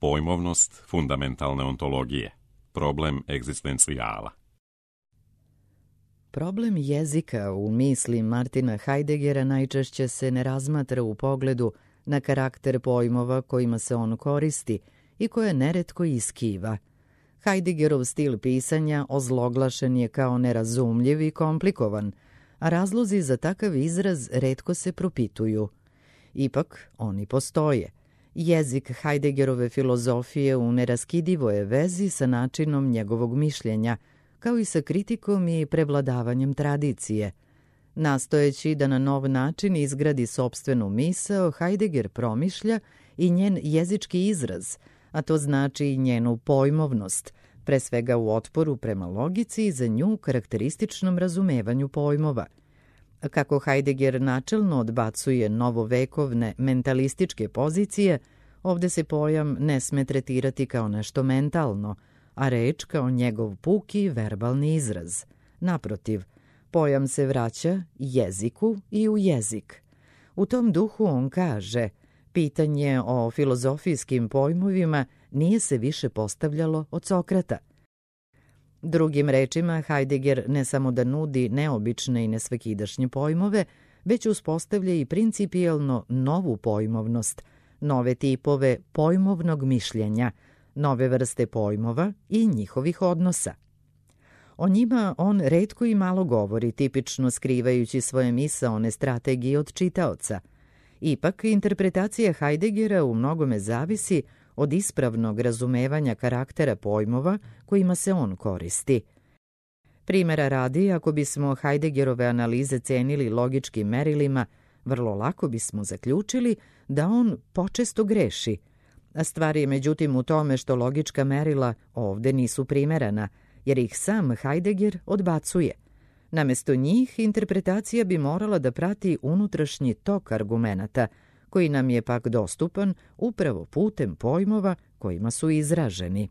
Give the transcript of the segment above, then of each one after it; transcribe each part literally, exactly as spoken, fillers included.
Pojmovnost fundamentalne ontologije. Problem egzistencijala. Problem jezika u misli Martina Heideggera najčešće se ne razmatra u pogledu na karakter pojmova kojima se on koristi i koje neretko iskiva. Heideggerov stil pisanja ozloglašen je kao nerazumljiv i komplikovan, a razlozi za takav izraz retko se propituju. Ipak, oni postoje. Jezik Heideggerove filozofije u neraskidivoj je vezi sa načinom njegovog mišljenja, kao i sa kritikom i prevladavanjem tradicije. Nastojeći da na nov način izgradi sopstvenu misao, Heidegger promišlja i njen jezički izraz, a to znači i njenu pojmovnost, pre svega u otporu prema logici i za nju karakterističnom razumevanju pojmova. Kako Heidegger načelno odbacuje novovekovne mentalističke pozicije, ovde se pojam ne sme tretirati kao nešto mentalno, a reč kao njegov puki verbalni izraz. Naprotiv, pojam se vraća jeziku i u jezik. U tom duhu on kaže, pitanje o filozofijskim pojmovima nije se više postavljalo od Sokrata. Drugim rečima, Heidegger ne samo da nudi neobične i nesvakidašnje pojmove, već uspostavlja i principijelno novu pojmovnost, nove tipove pojmovnog mišljenja, nove vrste pojmova i njihovih odnosa. O njima on retko i malo govori, tipično skrivajući svoje misaone strategije od čitaoca. Ipak, interpretacija Heideggera u mnogome zavisi od ispravnog razumevanja karaktera pojmova kojima se on koristi. Primera radi, ako bismo Heideggerove analize cenili logičkim merilima, vrlo lako bismo zaključili da on počesto greši. A stvar je međutim u tome što logička merila ovde nisu primerana, jer ih sam Heidegger odbacuje. Namesto njih, interpretacija bi morala da prati unutrašnji tok argumenata, koji nam je pak dostupan upravo putem pojmova kojima su izraženi.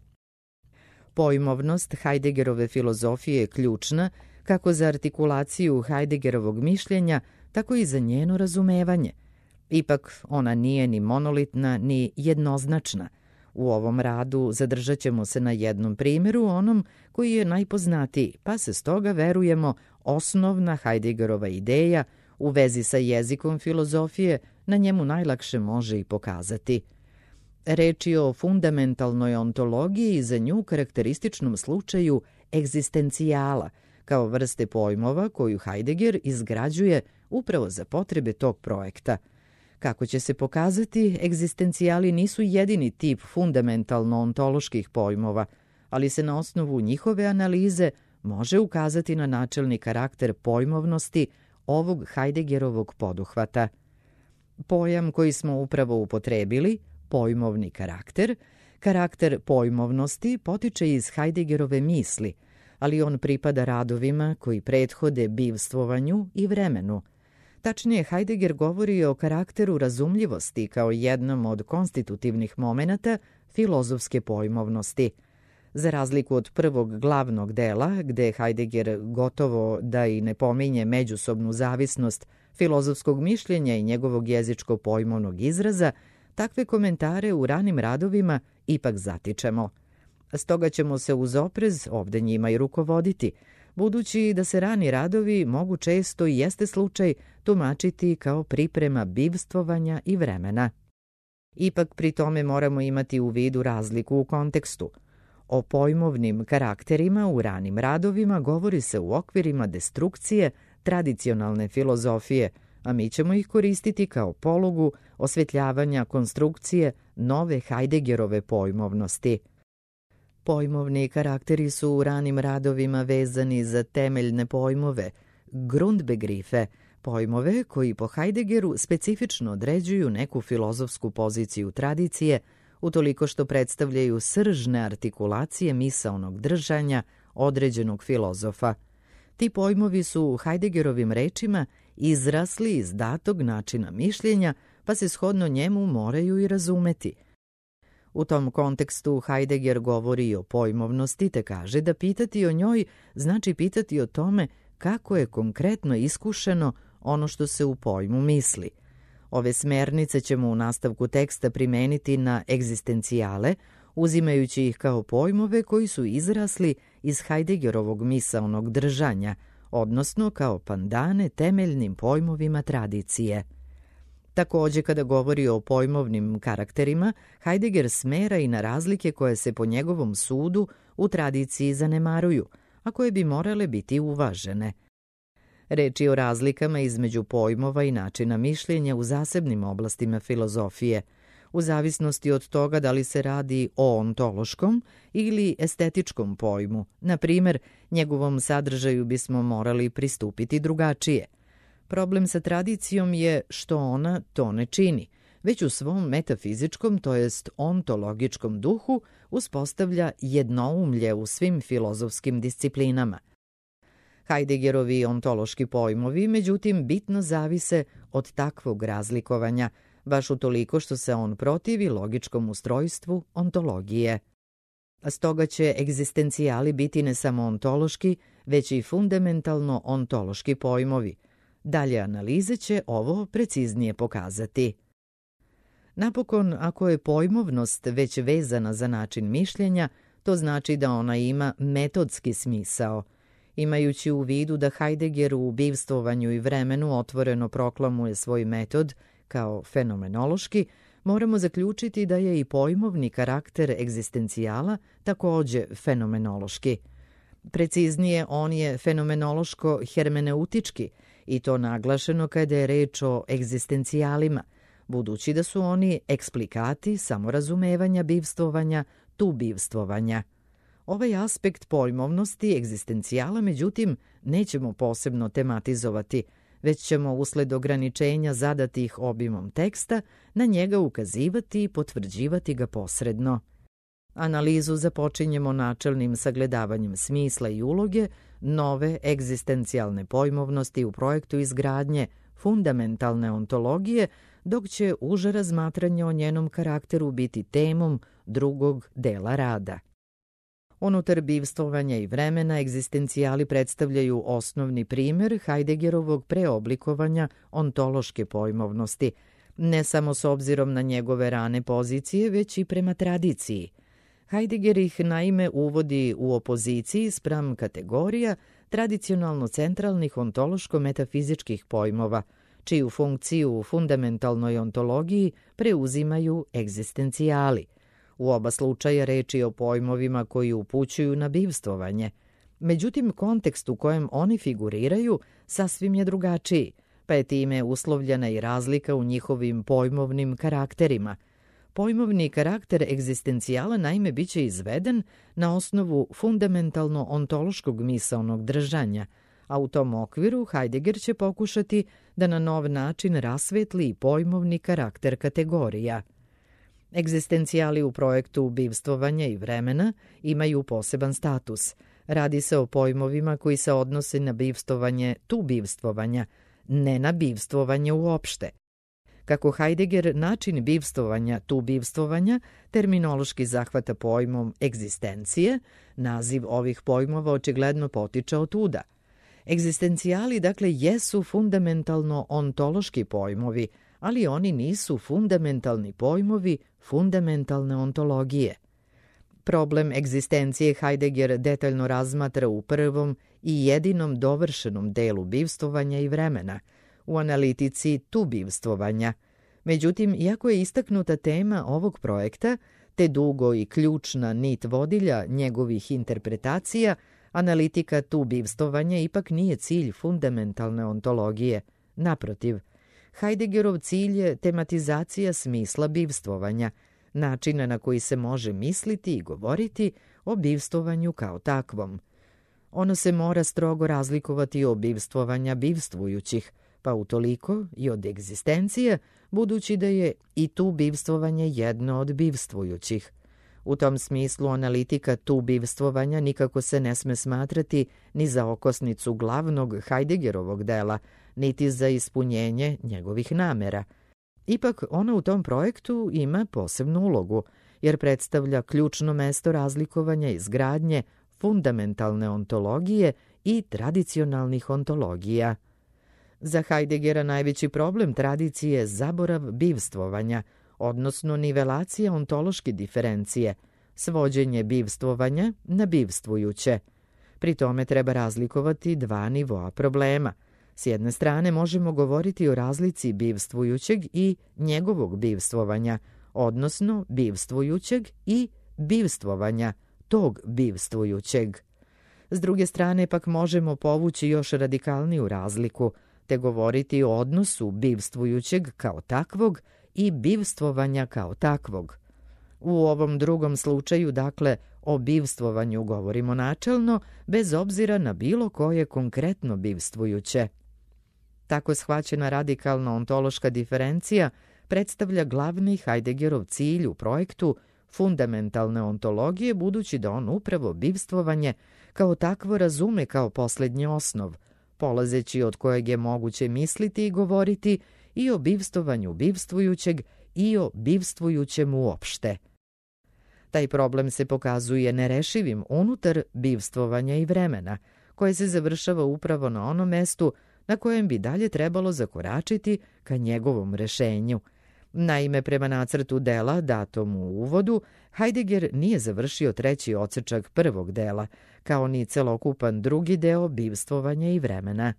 Pojmovnost Heideggerove filozofije je ključna kako za artikulaciju Heideggerovog mišljenja, tako i za njeno razumevanje. Ipak ona nije ni monolitna, ni jednoznačna. U ovom radu zadržat ćemo se na jednom primjeru, onom koji je najpoznatiji, pa se stoga, verujemo, osnovna Heideggerova ideja u vezi sa jezikom filozofije na njemu najlakše može i pokazati. Reč je o fundamentalnoj ontologiji i za nju karakterističnom slučaju egzistencijala, kao vrste pojmova koju Heidegger izgrađuje upravo za potrebe tog projekta. Kako će se pokazati, egzistencijali nisu jedini tip fundamentalno-ontoloških pojmova, ali se na osnovu njihove analize može ukazati na načelni karakter pojmovnosti ovog Heideggerovog poduhvata. Pojam koji smo upravo upotrebili, pojmovni karakter, karakter pojmovnosti potiče iz Heideggerove misli, ali on pripada radovima koji prethode bivstvovanju i vremenu. Tačnije, Heidegger govori o karakteru razumljivosti kao jednom od konstitutivnih momenata filozofske pojmovnosti. Za razliku od prvog glavnog dela, gde Heidegger gotovo da i ne pominje međusobnu zavisnost filozofskog mišljenja i njegovog jezičko-pojmovnog izraza, takve komentare u ranim radovima ipak zatičemo. Stoga ćemo se uz oprez ovde njima i rukovoditi, budući da se rani radovi mogu često i jeste slučaj tumačiti kao priprema bivstvovanja i vremena. Ipak pri tome moramo imati u vidu razliku u kontekstu. O pojmovnim karakterima u ranim radovima govori se u okvirima destrukcije tradicionalne filozofije, a mi ćemo ih koristiti kao polugu osvetljavanja konstrukcije nove Heideggerove pojmovnosti. Pojmovni karakteri su u ranim radovima vezani za temeljne pojmove, Grundbegriffe, pojmove koji po Heideggeru specifično određuju neku filozofsku poziciju tradicije, utoliko što predstavljaju sržne artikulacije misaonog držanja određenog filozofa. Ti pojmovi su u Heideggerovim rečima izrasli iz datog načina mišljenja, pa se shodno njemu moraju i razumeti. U tom kontekstu Heidegger govori i o pojmovnosti, te kaže da pitati o njoj znači pitati o tome kako je konkretno iskušeno ono što se u pojmu misli. Ove smernice ćemo u nastavku teksta primeniti na egzistencijale, uzimajući ih kao pojmove koji su izrasli iz Heideggerovog misaonog držanja, odnosno kao pandane temeljnim pojmovima tradicije. Takođe, kada govori o pojmovnim karakterima, Heidegger smera i na razlike koje se po njegovom sudu u tradiciji zanemaruju, a koje bi morale biti uvažene. Reč je o razlikama između pojmova i načina mišljenja u zasebnim oblastima filozofije, u zavisnosti od toga da li se radi o ontološkom ili estetičkom pojmu. Na primer, njegovom sadržaju bismo morali pristupiti drugačije. Problem sa tradicijom je što ona to ne čini, već u svom metafizičkom, to jest ontologičkom duhu, uspostavlja jednoumlje u svim filozofskim disciplinama. Heideggerovi ontološki pojmovi, međutim, bitno zavise od takvog razlikovanja, baš utoliko što se on protivi logičkom ustrojstvu ontologije. Stoga će egzistencijali biti ne samo ontološki, već i fundamentalno ontološki pojmovi. Dalje analize će ovo preciznije pokazati. Napokon, ako je pojmovnost već vezana za način mišljenja, to znači da ona ima metodski smisao. Imajući u vidu da Heidegger u bivstvovanju i vremenu otvoreno proklamuje svoj metod kao fenomenološki, moramo zaključiti da je i pojmovni karakter egzistencijala takođe fenomenološki. Preciznije, on je fenomenološko-hermeneutički, i to naglašeno kada je reč o egzistencijalima, budući da su oni eksplikati samorazumevanja bivstvovanja, tu bivstvovanja. Ovaj aspekt pojmovnosti egzistencijala, međutim, nećemo posebno tematizovati, već ćemo usled ograničenja zadatih obimom teksta na njega ukazivati i potvrđivati ga posredno. Analizu započinjemo načelnim sagledavanjem smisla i uloge nove egzistencijalne pojmovnosti u projektu izgradnje fundamentalne ontologije, dok će uže razmatranje o njenom karakteru biti temom drugog dela rada. Unutar bivstvovanja i vremena egzistencijali predstavljaju osnovni primer Heideggerovog preoblikovanja ontološke pojmovnosti, ne samo s obzirom na njegove rane pozicije, već i prema tradiciji. Heidegger ih naime uvodi u opoziciji spram kategorija tradicionalno centralnih ontološko-metafizičkih pojmova, čiju funkciju u fundamentalnoj ontologiji preuzimaju egzistencijali. U oba slučaja reč je o pojmovima koji upućuju na bivstvovanje. Međutim, kontekst u kojem oni figuriraju sasvim je drugačiji, pa je time uslovljena i razlika u njihovim pojmovnim karakterima. Pojmovni karakter egzistencijala naime biće izveden na osnovu fundamentalno ontološkog misaonog držanja, a u tom okviru Heidegger će pokušati da na nov način rasvetli i pojmovni karakter kategorija. Egzistencijali u projektu bivstvovanja i vremena imaju poseban status. Radi se o pojmovima koji se odnose na bivstvovanje tu bivstvovanja, ne na bivstvovanje uopšte. Kako Heidegger način bivstvovanja tu bivstvovanja terminološki zahvata pojmom egzistencije, naziv ovih pojmova očigledno potiče od tuda. Egzistencijali, dakle, jesu fundamentalno ontološki pojmovi, ali oni nisu fundamentalni pojmovi fundamentalne ontologije. Problem egzistencije Heidegger detaljno razmatra u prvom i jedinom dovršenom delu bivstvovanja i vremena, u analitici tu bivstvovanja. Međutim, iako je istaknuta tema ovog projekta, te dugo i ključna nit vodilja njegovih interpretacija, analitika tu bivstvovanja ipak nije cilj fundamentalne ontologije. Naprotiv, Heideggerov cilj je tematizacija smisla bivstvovanja, načina na koji se može misliti i govoriti o bivstvovanju kao takvom. Ono se mora strogo razlikovati od bivstvovanja bivstvujućih, pa utoliko i od egzistencije, budući da je i tu bivstvovanje jedno od bivstvujućih. U tom smislu analitika tu bivstvovanja nikako se ne sme smatrati ni za okosnicu glavnog Heideggerovog dela, niti za ispunjenje njegovih namera. Ipak ona u tom projektu ima posebnu ulogu, jer predstavlja ključno mesto razlikovanja izgradnje fundamentalne ontologije i tradicionalnih ontologija. Za Heideggera najveći problem tradicije je zaborav bivstvovanja, odnosno nivelacija ontološke diferencije, svođenje bivstvovanja na bivstvujuće. Pri tome treba razlikovati dva nivoa problema. S jedne strane možemo govoriti o razlici bivstvujućeg i njegovog bivstvovanja, odnosno bivstvujućeg i bivstvovanja tog bivstvujućeg. S druge strane pak možemo povući još radikalniju razliku, te govoriti o odnosu bivstvujućeg kao takvog i bivstvovanja kao takvog. U ovom drugom slučaju, dakle, o bivstvovanju govorimo načelno, bez obzira na bilo koje konkretno bivstvujuće. Tako shvaćena radikalna ontološka diferencija predstavlja glavni Heideggerov cilj u projektu fundamentalne ontologije, budući da on upravo bivstvovanje kao takvo razume kao posljednji osnov, polazeći od kojeg je moguće misliti i govoriti i o bivstvovanju bivstvujućeg i o bivstvujućem uopšte. Taj problem se pokazuje nerešivim unutar bivstvovanja i vremena, koje se završava upravo na onom mestu na kojem bi dalje trebalo zakoračiti ka njegovom rešenju. Naime, prema nacrtu dela datom u uvodu, Heidegger nije završio treći odsečak prvog dela, kao ni celokupan drugi deo bivstvovanja i vremena.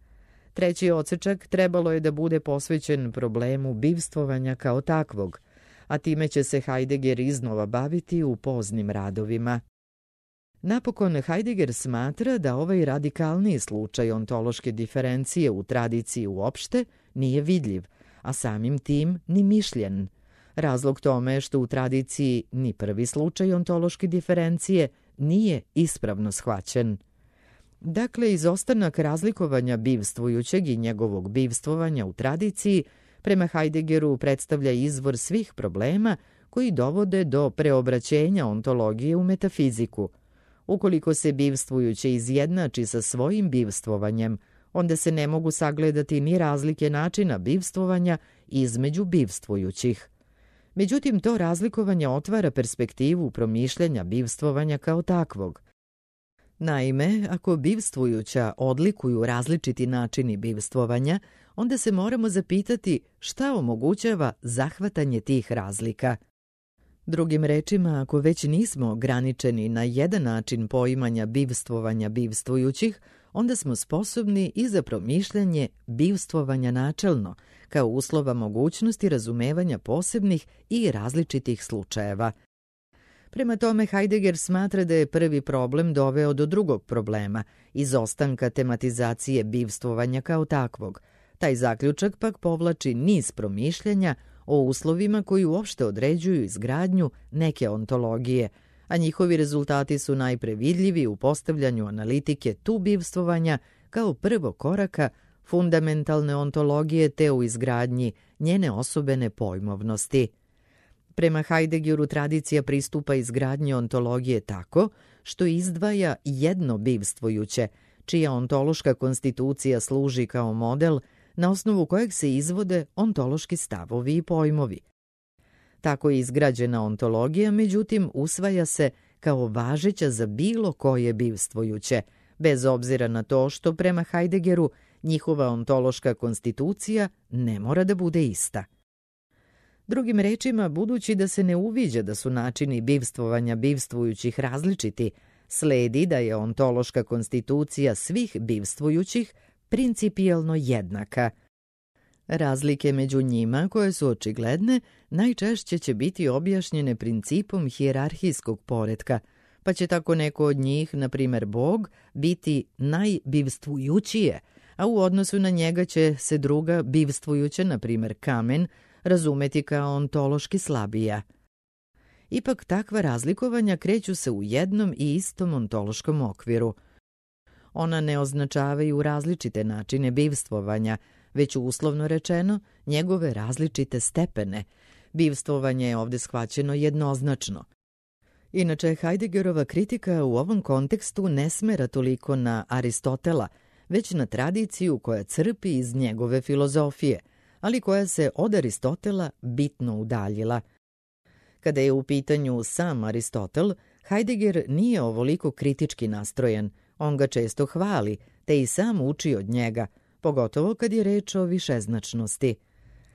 Treći odsečak trebalo je da bude posvećen problemu bivstvovanja kao takvog, a time će se Heidegger iznova baviti u poznim radovima. Napokon, Heidegger smatra da ovaj radikalniji slučaj ontološke diferencije u tradiciji uopšte nije vidljiv, a samim tim ni mišljen. Razlog tome je što u tradiciji ni prvi slučaj ontološke diferencije nije ispravno shvaćen. Dakle, izostanak razlikovanja bivstvujućeg i njegovog bivstvovanja u tradiciji prema Heideggeru predstavlja izvor svih problema koji dovode do preobraćenja ontologije u metafiziku. Ukoliko se bivstvujuće izjednači sa svojim bivstvovanjem, onda se ne mogu sagledati ni razlike načina bivstvovanja između bivstvujućih. Međutim, to razlikovanje otvara perspektivu promišljanja bivstvovanja kao takvog. Naime, ako bivstvujuća odlikuju različiti načini bivstvovanja, onda se moramo zapitati šta omogućava zahvatanje tih razlika. Drugim rečima, ako već nismo ograničeni na jedan način poimanja bivstvovanja bivstvujućih, onda smo sposobni i za promišljanje bivstvovanja načelno, kao uslova mogućnosti razumevanja posebnih i različitih slučajeva. Prema tome, Heidegger smatra da je prvi problem doveo do drugog problema, izostanka tematizacije bivstvovanja kao takvog. Taj zaključak pak povlači niz promišljanja o uslovima koji uopšte određuju izgradnju neke ontologije, a njihovi rezultati su najpre vidljivi u postavljanju analitike tu bivstvovanja kao prvo koraka fundamentalne ontologije te u izgradnji njene osobene pojmovnosti. Prema Heideggeru tradicija pristupa izgradnji ontologije tako što izdvaja jedno bivstvujuće, čija ontološka konstitucija služi kao model na osnovu kojeg se izvode ontološki stavovi i pojmovi. Tako izgrađena ontologija, međutim, usvaja se kao važeća za bilo koje bivstvujuće, bez obzira na to što prema Heideggeru njihova ontološka konstitucija ne mora da bude ista. Drugim rečima, budući da se ne uviđa da su načini bivstvovanja bivstvujućih različiti, sledi da je ontološka konstitucija svih bivstvujućih principijelno jednaka. Razlike među njima, koje su očigledne, najčešće će biti objašnjene principom hijerarhijskog poretka, pa će tako neko od njih, na primjer Bog, biti najbivstvujućije, a u odnosu na njega će se druga bivstvujuća, na primjer kamen, razumeti kao ontološki slabija. Ipak takva razlikovanja kreću se u jednom i istom ontološkom okviru. Ona ne označavaju različite načine bivstvovanja, već uslovno rečeno njegove različite stepene. Bivstvovanje je ovdje shvaćeno jednoznačno. Inače, Heideggerova kritika u ovom kontekstu ne smera toliko na Aristotela, već na tradiciju koja crpi iz njegove filozofije, ali koja se od Aristotela bitno udaljila. Kada je u pitanju sam Aristotel, Heidegger nije ovoliko kritički nastrojen, on ga često hvali, te i sam uči od njega, pogotovo kad je reč o višeznačnosti.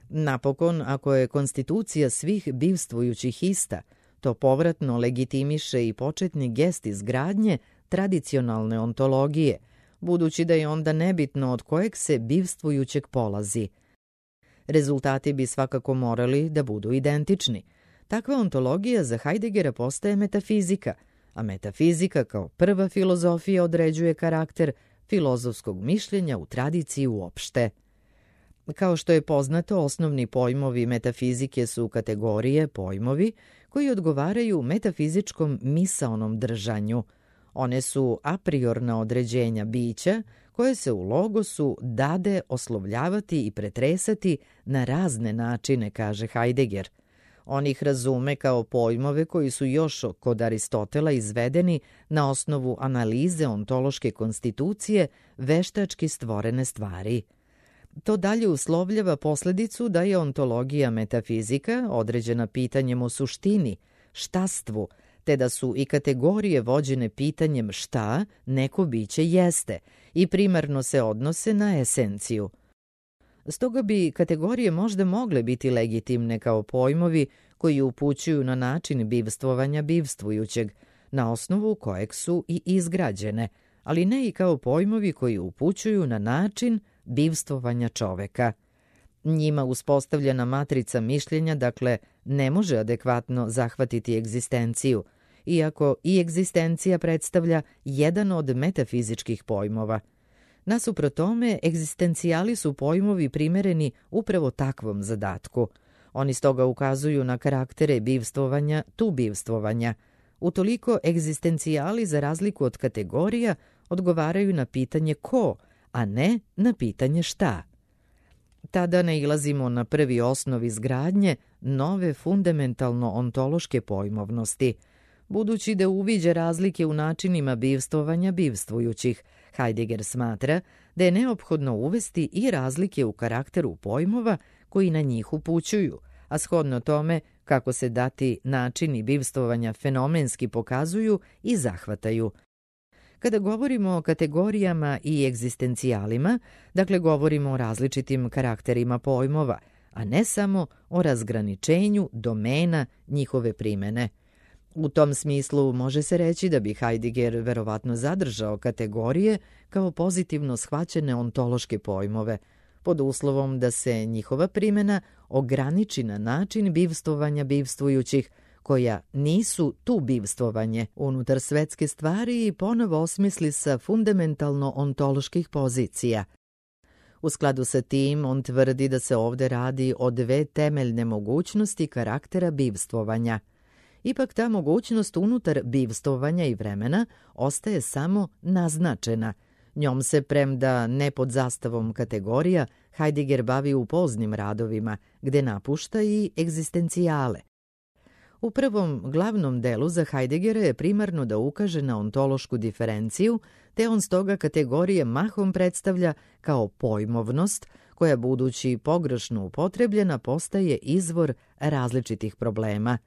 Napokon, ako je konstitucija svih bivstvujućih ista, to povratno legitimiše i početni gest izgradnje tradicionalne ontologije, budući da je onda nebitno od kojeg se bivstvujućeg polazi. Rezultati bi svakako morali da budu identični. Takva ontologija za Heideggera postaje metafizika, a metafizika kao prva filozofija određuje karakter filozofskog mišljenja u tradiciji uopšte. Kao što je poznato, osnovni pojmovi metafizike su kategorije, pojmovi, koji odgovaraju metafizičkom misaonom držanju. One su a priorna određenja bića, koje se u logosu dade oslovljavati i pretresati na razne načine, kaže Heidegger. On ih razume kao pojmove koji su još kod Aristotela izvedeni na osnovu analize ontološke konstitucije veštački stvorene stvari. To dalje uslovljava posledicu da je ontologija metafizika određena pitanjem o suštini, štastvu, te da su i kategorije vođene pitanjem šta neko biće jeste i primarno se odnose na esenciju. Stoga bi kategorije možda mogle biti legitimne kao pojmovi koji upućuju na način bivstvovanja bivstvujućeg, na osnovu kojeg su i izgrađene, ali ne i kao pojmovi koji upućuju na način bivstvovanja čoveka. Njima uspostavljena matrica mišljenja, dakle, ne može adekvatno zahvatiti egzistenciju, iako i egzistencija predstavlja jedan od metafizičkih pojmova. Nasuprot tome, egzistencijali su pojmovi primereni upravo takvom zadatku. Oni stoga ukazuju na karaktere bivstvovanja, tu bivstvovanja. Utoliko egzistencijali, za razliku od kategorija, odgovaraju na pitanje ko, a ne na pitanje šta. Tada nailazimo na prvi osnov izgradnje nove fundamentalno-ontološke pojmovnosti. Budući da uviđa razlike u načinima bivstvovanja bivstvujućih, Heidegger smatra da je neophodno uvesti i razlike u karakteru pojmova koji na njih upućuju, a shodno tome kako se dati načini bivstvovanja fenomenski pokazuju i zahvataju. Kada govorimo o kategorijama i egzistencijalima, dakle govorimo o različitim karakterima pojmova, a ne samo o razgraničenju domena njihove primene. U tom smislu može se reći da bi Heidegger verovatno zadržao kategorije kao pozitivno shvaćene ontološke pojmove, pod uslovom da se njihova primena ograniči na način bivstvovanja bivstvujućih, koja nisu tu bivstvovanje unutar svetske stvari i ponovo osmisli sa fundamentalno-ontoloških pozicija. U skladu sa tim, on tvrdi da se ovde radi o dve temeljne mogućnosti karaktera bivstvovanja. Ipak ta mogućnost unutar bivstvovanja i vremena ostaje samo naznačena. Njom se, premda ne pod zastavom kategorija, Heidegger bavi u poznim radovima, gde napušta i egzistencijale. U prvom glavnom delu za Heideggera je primarno da ukaže na ontološku diferenciju, te on stoga kategorije mahom predstavlja kao pojmovnost, koja budući pogrešno upotrebljena postaje izvor različitih problema.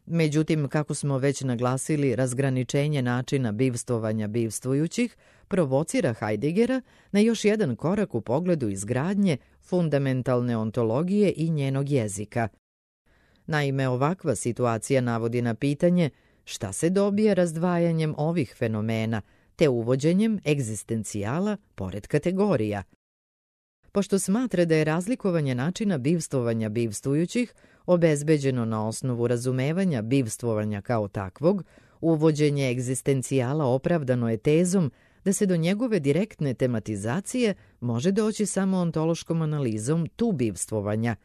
Međutim, kako smo već naglasili, razgraničenje načina bivstvovanja bivstvujućih provocira Heideggera na još jedan korak u pogledu izgradnje fundamentalne ontologije i njenog jezika. Naime, ovakva situacija navodi na pitanje šta se dobija razdvajanjem ovih fenomena, te uvođenjem egzistencijala pored kategorija. Pošto smatra da je razlikovanje načina bivstvovanja bivstvujućih obezbeđeno na osnovu razumevanja bivstvovanja kao takvog, uvođenje egzistencijala opravdano je tezom da se do njegove direktne tematizacije može doći samo ontološkom analizom tu bivstvovanja,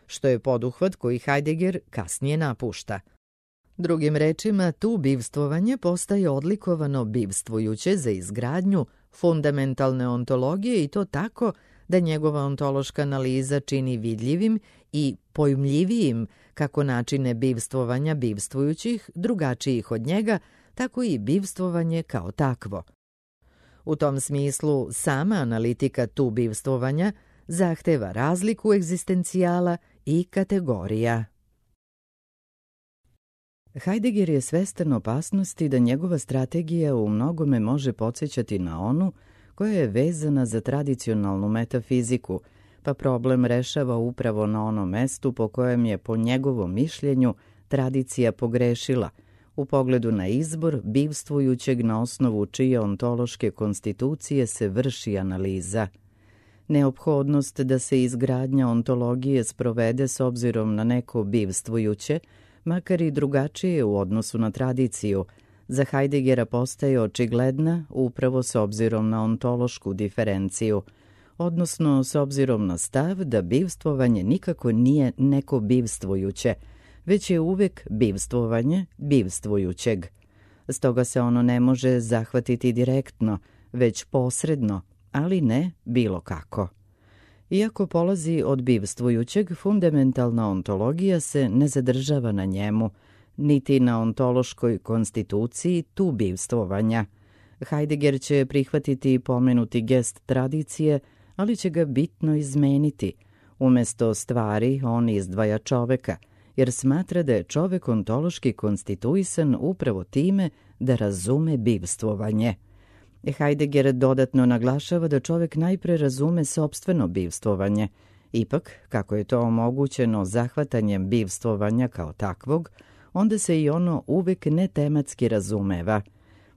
što je poduhvat koji Heidegger kasnije napušta. Drugim rečima, tu bivstvovanje postaje odlikovano bivstvujuće za izgradnju fundamentalne ontologije i to tako da njegova ontološka analiza čini vidljivim i pojmljivijim kako načine bivstvovanja bivstvujućih, drugačijih od njega, tako i bivstvovanje kao takvo. U tom smislu, sama analitika tu bivstvovanja zahteva razliku egzistencijala i kategorija. Heidegger je svestan opasnosti da njegova strategija u mnogome može podsjećati na onu koja je vezana za tradicionalnu metafiziku, pa problem rešava upravo na onom mestu po kojem je, po njegovom mišljenju, tradicija pogrešila, u pogledu na izbor bivstvujućeg na osnovu čije ontološke konstitucije se vrši analiza. Neophodnost da se izgradnja ontologije sprovede s obzirom na neko bivstvujuće, makar i drugačije u odnosu na tradiciju, za Heideggera postaje očigledna upravo s obzirom na ontološku diferenciju, odnosno s obzirom na stav da bivstvovanje nikako nije neko bivstvujuće, već je uvek bivstvovanje bivstvujućeg. Stoga se ono ne može zahvatiti direktno, već posredno, ali ne bilo kako. Iako polazi od bivstvujućeg, fundamentalna ontologija se ne zadržava na njemu, niti na ontološkoj konstituciji tu bivstvovanja. Heidegger će prihvatiti pomenuti gest tradicije, ali će ga bitno izmeniti. Umesto stvari on izdvaja čoveka, jer smatra da je čovek ontološki konstituisan upravo time da razume bivstvovanje. Heidegger dodatno naglašava da čovek najpre razume sopstveno bivstvovanje. Ipak, kako je to omogućeno zahvatanjem bivstvovanja kao takvog, onda se i ono uvek netematski razumeva.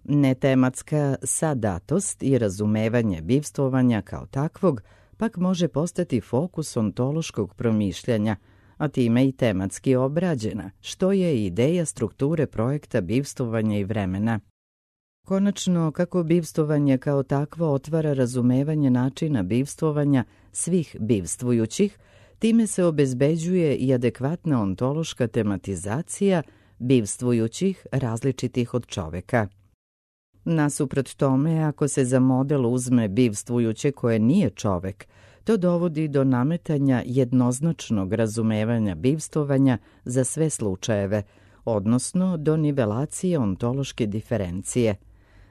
Netematska sadatost i razumevanje bivstvovanja kao takvog pak može postati fokus ontološkog promišljanja, a time i tematski obrađena, što je ideja strukture projekta bivstvovanja i vremena. Konačno, kako bivstvovanje kao takvo otvara razumevanje načina bivstvovanja svih bivstvujućih, time se obezbeđuje i adekvatna ontološka tematizacija bivstvujućih različitih od čoveka. Nasuprot tome, ako se za model uzme bivstvujuće koje nije čovek, to dovodi do nametanja jednoznačnog razumevanja bivstvovanja za sve slučajeve, odnosno do nivelacije ontološke diferencije.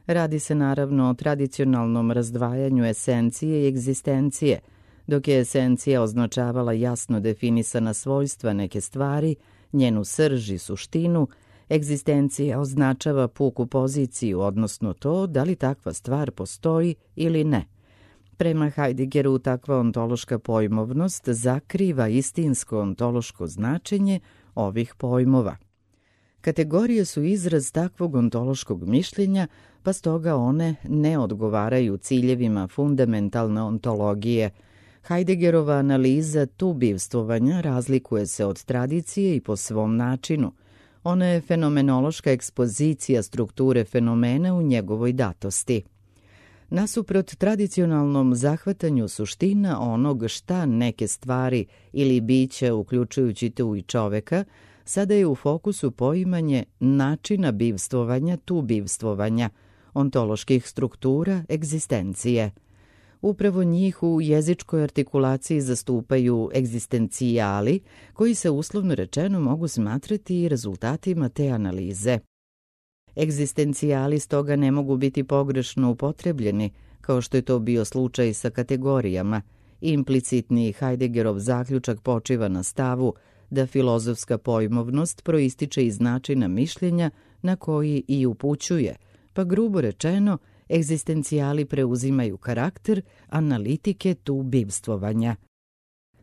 Radi se naravno o tradicionalnom razdvajanju esencije i egzistencije. Dok je esencija označavala jasno definisana svojstva neke stvari, njenu srž i suštinu, egzistencija označava puku poziciju, odnosno to da li takva stvar postoji ili ne. Prema Heideggeru takva ontološka pojmovnost zakriva istinsko ontološko značenje ovih pojmova. Kategorije su izraz takvog ontološkog mišljenja, pa stoga one ne odgovaraju ciljevima fundamentalne ontologije. Heideggerova analiza tu bivstvovanja razlikuje se od tradicije i po svom načinu. Ona je fenomenološka ekspozicija strukture fenomena u njegovoj datosti. Nasuprot tradicionalnom zahvatanju suština onog šta neke stvari ili biće, uključujući tu i čoveka, sada je u fokusu poimanje načina bivstvovanja tu bivstvovanja, ontoloških struktura egzistencije. Upravo njih u jezičkoj artikulaciji zastupaju egzistencijali, koji se uslovno rečeno mogu smatrati i rezultatima te analize. Egzistencijali stoga ne mogu biti pogrešno upotrebljeni, kao što je to bio slučaj sa kategorijama. Implicitni Heideggerov zaključak počiva na stavu da filozofska pojmovnost proističe iz načina mišljenja na koji i upućuje, pa grubo rečeno, egzistencijali preuzimaju karakter analitike tu bivstvovanja.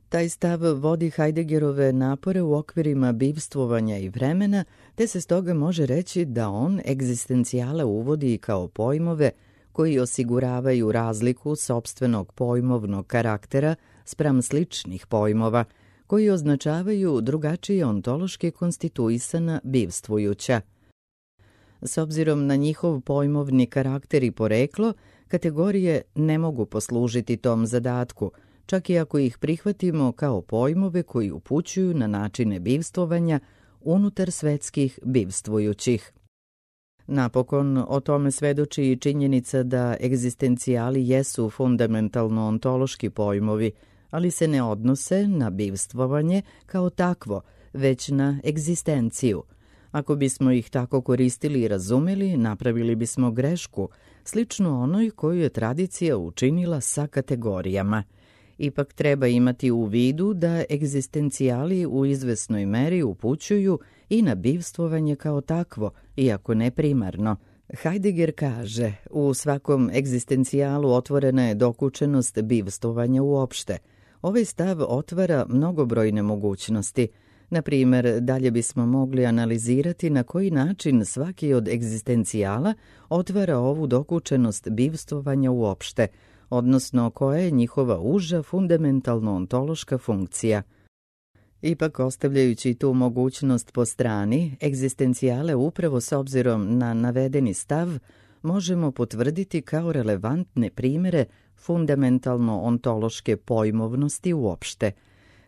Taj stav vodi Heideggerove napore u okvirima bivstvovanja i vremena, te se stoga može reći da on egzistencijale uvodi kao pojmove koji osiguravaju razliku sopstvenog pojmovnog karaktera spram sličnih pojmova, koji označavaju drugačije ontološki konstituisana bivstvujuća. S obzirom na njihov pojmovni karakter i poreklo, kategorije ne mogu poslužiti tom zadatku, čak i ako ih prihvatimo kao pojmove koji upućuju na načine bivstvovanja unutar svetskih bivstvujućih. Napokon, o tome svedoči i činjenica da egzistencijali jesu fundamentalno ontološki pojmovi, ali se ne odnose na bivstvovanje kao takvo, već na egzistenciju. Ako bismo ih tako koristili i razumeli, napravili bismo grešku, slično onoj koju je tradicija učinila sa kategorijama. Ipak treba imati u vidu da egzistencijali u izvesnoj meri upućuju i na bivstvovanje kao takvo, iako ne primarno, Heidegger kaže, u svakom egzistencijalu otvorena je dokučenost bivstvovanja uopšte. Ovaj stav otvara mnogobrojne mogućnosti. Na primjer, dalje bismo mogli analizirati na koji način svaki od egzistencijala otvara ovu dokučenost bivstvovanja uopšte, odnosno koja je njihova uža fundamentalno-ontološka funkcija. Ipak, ostavljajući tu mogućnost po strani, egzistencijale upravo s obzirom na navedeni stav možemo potvrditi kao relevantne primjere fundamentalno-ontološke pojmovnosti uopšte.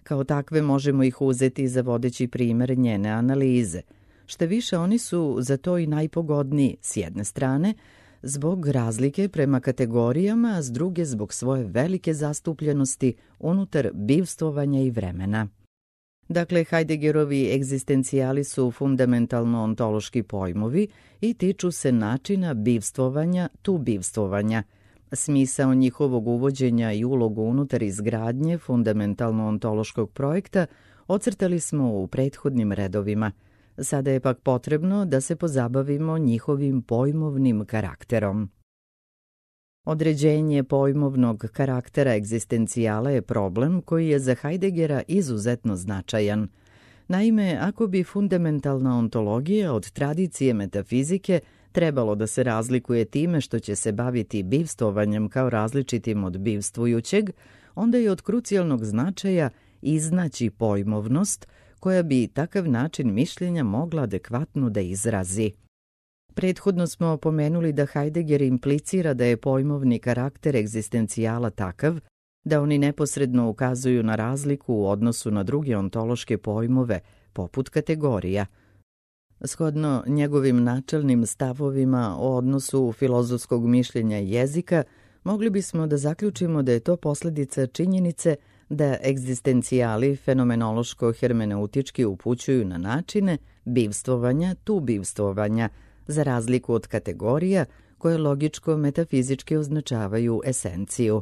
Kao takve možemo ih uzeti za vodeći primjer njene analize. Što više, oni su za to i najpogodniji, s jedne strane, zbog razlike prema kategorijama, a s druge zbog svoje velike zastupljenosti unutar bivstvovanja i vremena. Dakle, Heideggerovi egzistencijali su fundamentalno-ontološki pojmovi i tiču se načina bivstvovanja tu bivstvovanja. Smisao njihovog uvođenja i ulogu unutar izgradnje fundamentalno-ontološkog projekta ocrtali smo u prethodnim redovima. Sada je pak potrebno da se pozabavimo njihovim pojmovnim karakterom. Određenje pojmovnog karaktera egzistencijala je problem koji je za Heideggera izuzetno značajan. Naime, ako bi fundamentalna ontologija od tradicije metafizike trebalo da se razlikuje time što će se baviti bivstvovanjem kao različitim od bivstvujućeg, onda je od krucijalnog značaja iznaći pojmovnost koja bi takav način mišljenja mogla adekvatno da izrazi. Prethodno smo pomenuli da Heidegger implicira da je pojmovni karakter egzistencijala takav da oni neposredno ukazuju na razliku u odnosu na druge ontološke pojmove, poput kategorija. Shodno njegovim načelnim stavovima o odnosu filozofskog mišljenja i jezika, mogli bismo da zaključimo da je to posljedica činjenice da egzistencijali fenomenološko-hermeneutički upućuju na načine bivstvovanja tu bivstvovanja, za razliku od kategorija koje logičko-metafizički označavaju esenciju.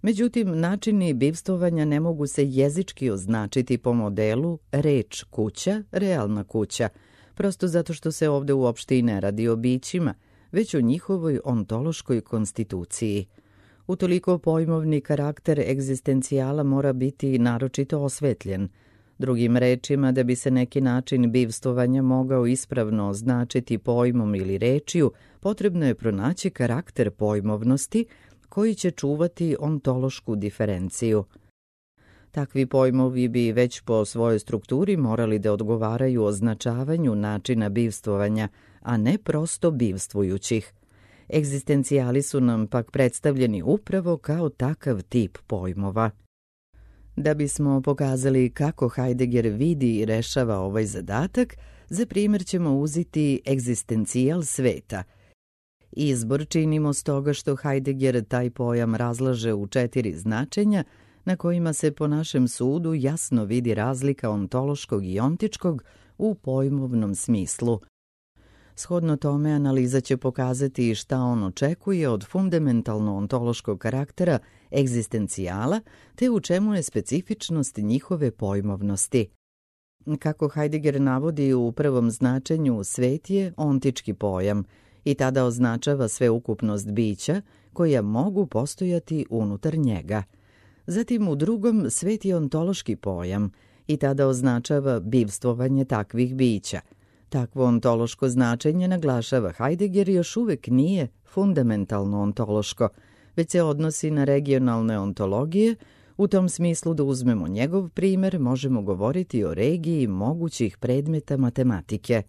Međutim, načini bivstvovanja ne mogu se jezički označiti po modelu reč kuća, realna kuća, prosto zato što se ovdje uopšte i ne radi o bićima, već o njihovoj ontološkoj konstituciji. Utoliko pojmovni karakter egzistencijala mora biti naročito osvetljen. Drugim rečima, da bi se neki način bivstvovanja mogao ispravno označiti pojmom ili rečju, potrebno je pronaći karakter pojmovnosti koji će čuvati ontološku diferenciju. Takvi pojmovi bi već po svojoj strukturi morali da odgovaraju označavanju načina bivstvovanja, a ne prosto bivstvujućih. Egzistencijali su nam pak predstavljeni upravo kao takav tip pojmova. Da bismo pokazali kako Heidegger vidi i rešava ovaj zadatak, za primjer ćemo uzeti egzistencijal sveta. Izbor činimo stoga što Heidegger taj pojam razlaže u četiri značenja, na kojima se po našem sudu jasno vidi razlika ontološkog i ontičkog u pojmovnom smislu. Shodno tome, analiza će pokazati šta on očekuje od fundamentalno-ontološkog karaktera egzistencijala, te u čemu je specifičnost njihove pojmovnosti. Kako Heidegger navodi u prvom značenju, svet je ontički pojam i tada označava sveukupnost bića koja mogu postojati unutar njega. Zatim u drugom, svet je ontološki pojam i tada označava bivstvovanje takvih bića. Takvo ontološko značenje, naglašava Heidegger, još uvek nije fundamentalno ontološko, već se odnosi na regionalne ontologije. U tom smislu, da uzmemo njegov primjer, možemo govoriti o regiji mogućih predmeta matematike.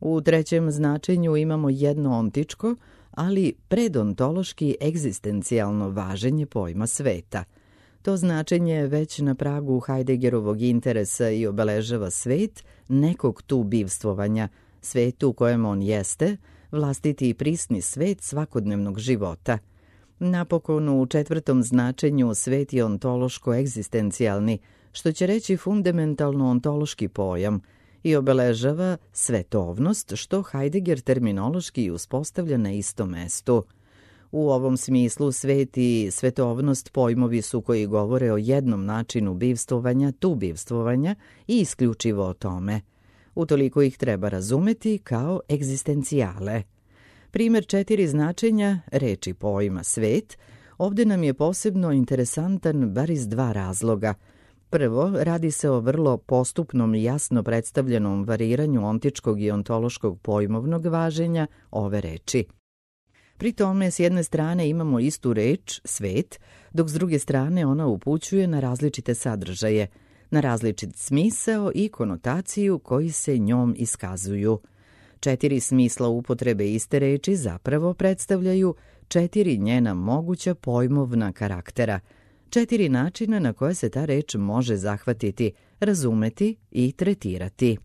U trećem značenju imamo jedno ontičko, ali predontološki egzistencijalno važenje pojma sveta. To značenje je već na pragu Heideggerovog interesa i obeležava svet nekog tu bivstvovanja, svet u kojem on jeste, vlastiti i prisni svet svakodnevnog života. Napokon, u četvrtom značenju svet je ontološko-egzistencijalni, što će reći fundamentalno-ontološki pojam, i obeležava svetovnost, što Heidegger terminološki uspostavlja na istom mestu. U ovom smislu svet i svetovnost pojmovi su koji govore o jednom načinu bivstvovanja, tu bivstvovanja i isključivo o tome. Utoliko ih treba razumeti kao egzistencijale. Primer četiri značenja reči pojma svet ovde nam je posebno interesantan bar iz dva razloga. Prvo, radi se o vrlo postupnom i jasno predstavljenom variranju ontičkog i ontološkog pojmovnog važenja ove reči. Pri tome, s jedne strane imamo istu reč, svet, dok s druge strane ona upućuje na različite sadržaje, na različit smisao i konotaciju koji se njom iskazuju. Četiri smisla upotrebe iste reči zapravo predstavljaju četiri njena moguća pojmovna karaktera, četiri načina na koje se ta reč može zahvatiti, razumeti i tretirati.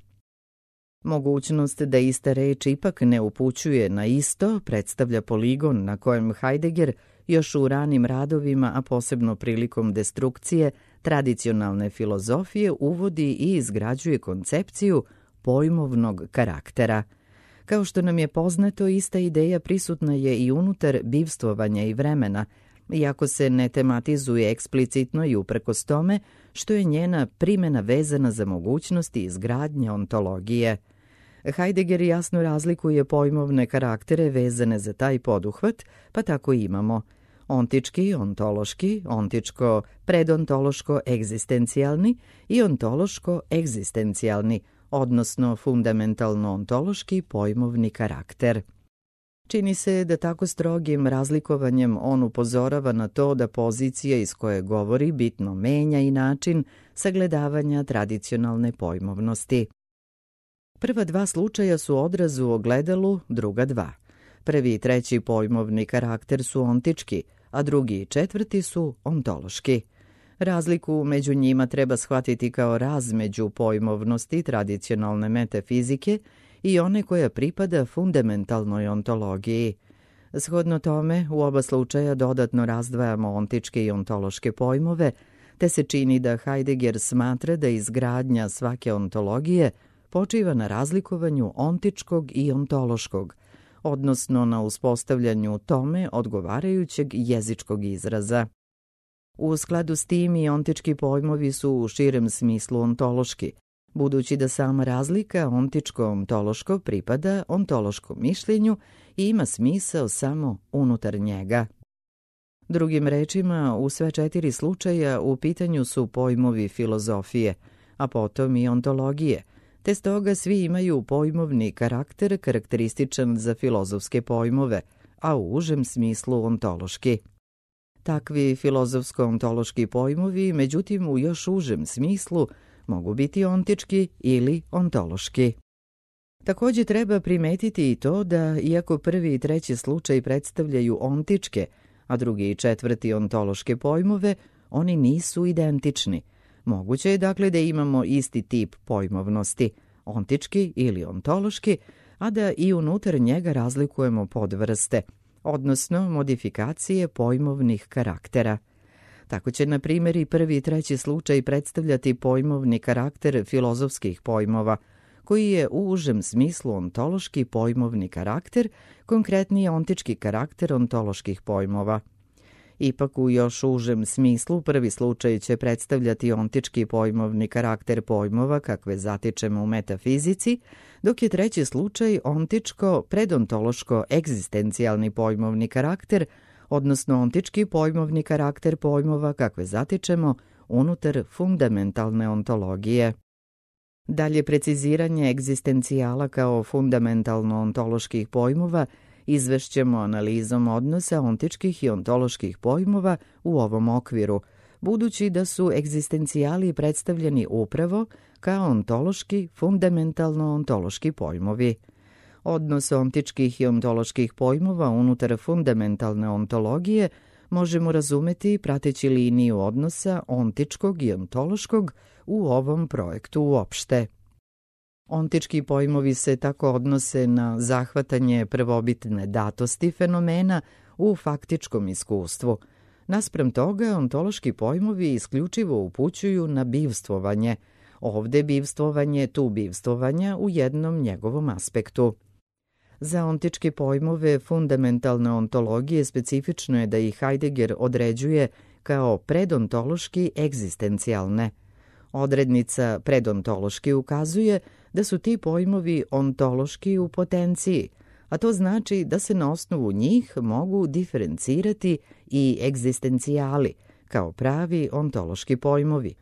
Mogućnost da ista reč ipak ne upućuje na isto predstavlja poligon na kojem Heidegger još u ranim radovima, a posebno prilikom destrukcije tradicionalne filozofije, uvodi i izgrađuje koncepciju pojmovnog karaktera. Kao što nam je poznato, ista ideja prisutna je i unutar bivstvovanja i vremena, iako se ne tematizuje eksplicitno i uprkos tome što je njena primjena vezana za mogućnosti izgradnje ontologije. Heidegger jasno razlikuje pojmovne karaktere vezane za taj poduhvat, pa tako imamo ontički, ontološki, ontičko, predontološko, egzistencijalni i ontološko, egzistencijalni, odnosno fundamentalno-ontološki pojmovni karakter. Čini se da tako strogim razlikovanjem on upozorava na to da pozicija iz koje govori bitno menja i način sagledavanja tradicionalne pojmovnosti. Prva dva slučaja su odraz u ogledalu, druga dva. Prvi i treći pojmovni karakter su ontički, a drugi i četvrti su ontološki. Razliku među njima treba shvatiti kao razmeđu pojmovnosti tradicionalne metafizike i one koja pripada fundamentalnoj ontologiji. Shodno tome, u oba slučaja dodatno razdvajamo ontičke i ontološke pojmove, te se čini da Heidegger smatra da izgradnja svake ontologije počiva na razlikovanju ontičkog i ontološkog, odnosno na uspostavljanju tome odgovarajućeg jezičkog izraza. U skladu s tim i ontički pojmovi su u širem smislu ontološki, budući da sama razlika ontičko-ontološko pripada ontološkom mišljenju i ima smisao samo unutar njega. Drugim rečima, u sve četiri slučaja u pitanju su pojmovi filozofije, a potom i ontologije, te stoga svi imaju pojmovni karakter karakterističan za filozofske pojmove, a u užem smislu ontološki. Takvi filozofsko-ontološki pojmovi, međutim, u još užem smislu mogu biti ontički ili ontološki. Također treba primetiti i to da, iako prvi i treći slučaj predstavljaju ontičke, a drugi i četvrti ontološke pojmove, oni nisu identični. Moguće je dakle da imamo isti tip pojmovnosti, ontički ili ontološki, a da i unutar njega razlikujemo podvrste, odnosno modifikacije pojmovnih karaktera. Tako će, na primjer, i prvi i treći slučaj predstavljati pojmovni karakter filozofskih pojmova, koji je u užem smislu ontološki pojmovni karakter, konkretnije ontički karakter ontoloških pojmova. Ipak u još užem smislu prvi slučaj će predstavljati ontički pojmovni karakter pojmova kakve zatičemo u metafizici, dok je treći slučaj ontičko predontološko egzistencijalni pojmovni karakter, odnosno ontički pojmovni karakter pojmova kakve zatičemo unutar fundamentalne ontologije. Dalje preciziranje egzistencijala kao fundamentalno-ontoloških pojmova izvešćemo analizom odnosa ontičkih i ontoloških pojmova u ovom okviru, budući da su egzistencijali predstavljeni upravo kao ontološki, fundamentalno-ontološki pojmovi. Odnos ontičkih i ontoloških pojmova unutar fundamentalne ontologije možemo razumeti prateći liniju odnosa ontičkog i ontološkog u ovom projektu uopšte. Ontički pojmovi se tako odnose na zahvatanje prvobitne datosti fenomena u faktičkom iskustvu. Naspram toga, ontološki pojmovi isključivo upućuju na bivstvovanje, ovde bivstvovanje, tu bivstvovanja u jednom njegovom aspektu. Za ontičke pojmove fundamentalne ontologije specifično je da ih Heidegger određuje kao predontološki egzistencijalne. Odrednica predontološki ukazuje da su ti pojmovi ontološki u potenciji, a to znači da se na osnovu njih mogu diferencirati i egzistencijali, kao pravi ontološki pojmovi.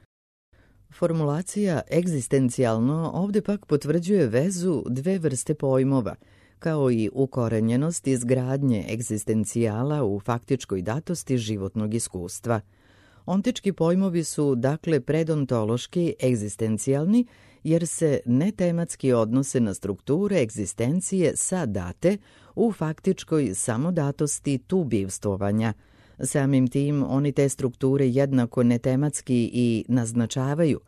Formulacija egzistencijalno ovde pak potvrđuje vezu dve vrste pojmova, kao i ukorenjenost izgradnje egzistencijala u faktičkoj datosti životnog iskustva. Ontički pojmovi su dakle predontološki egzistencijalni, jer se netematski odnose na strukture egzistencije sa date u faktičkoj samodatosti tu bivstvovanja. Samim tim oni te strukture jednako netematski i naznačavaju.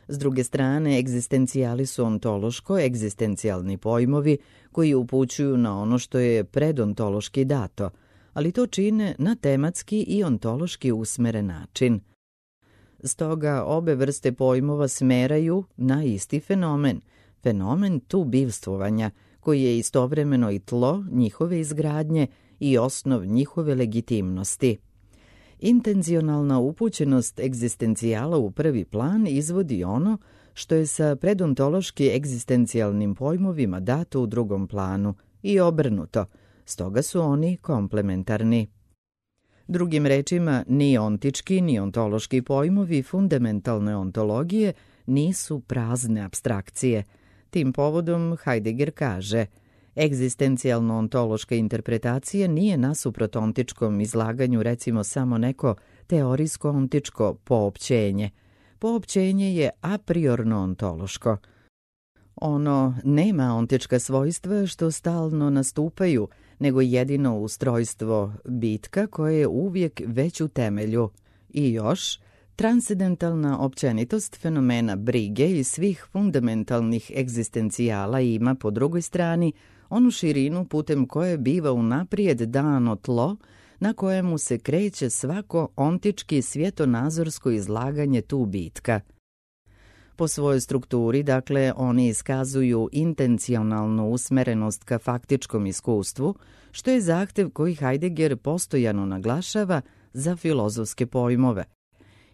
S druge strane, egzistencijali su ontološko-egzistencijalni pojmovi koji upućuju na ono što je predontološki dato, ali to čine na tematski i ontološki usmeren način. Stoga obe vrste pojmova smeraju na isti fenomen, fenomen tu bivstvovanja, koji je istovremeno i tlo njihove izgradnje i osnov njihove legitimnosti. Intencionalna upućenost egzistencijala u prvi plan izvodi ono što je sa predontološki egzistencijalnim pojmovima dato u drugom planu i obrnuto, stoga su oni komplementarni. Drugim rečima, ni ontički ni ontološki pojmovi fundamentalne ontologije nisu prazne apstrakcije. Tim povodom Heidegger kaže: egzistencijalno-ontološka interpretacija nije nasuprot ontičkom izlaganju recimo samo neko teorijsko-ontičko poopćenje. Poopćenje je a priorno ontološko. Ono nema ontička svojstva što stalno nastupaju, nego jedino ustrojstvo bitka koje je uvijek već u temelju. I još, transcendentalna općenitost fenomena brige i svih fundamentalnih egzistencijala ima po drugoj strani onu širinu putem koje biva unaprijed dano tlo na kojemu se kreće svako ontički svjetonazorsko izlaganje tu bitka. Po svojoj strukturi, dakle, oni iskazuju intencionalnu usmerenost ka faktičkom iskustvu, što je zahtev koji Heidegger postojano naglašava za filozofske pojmove.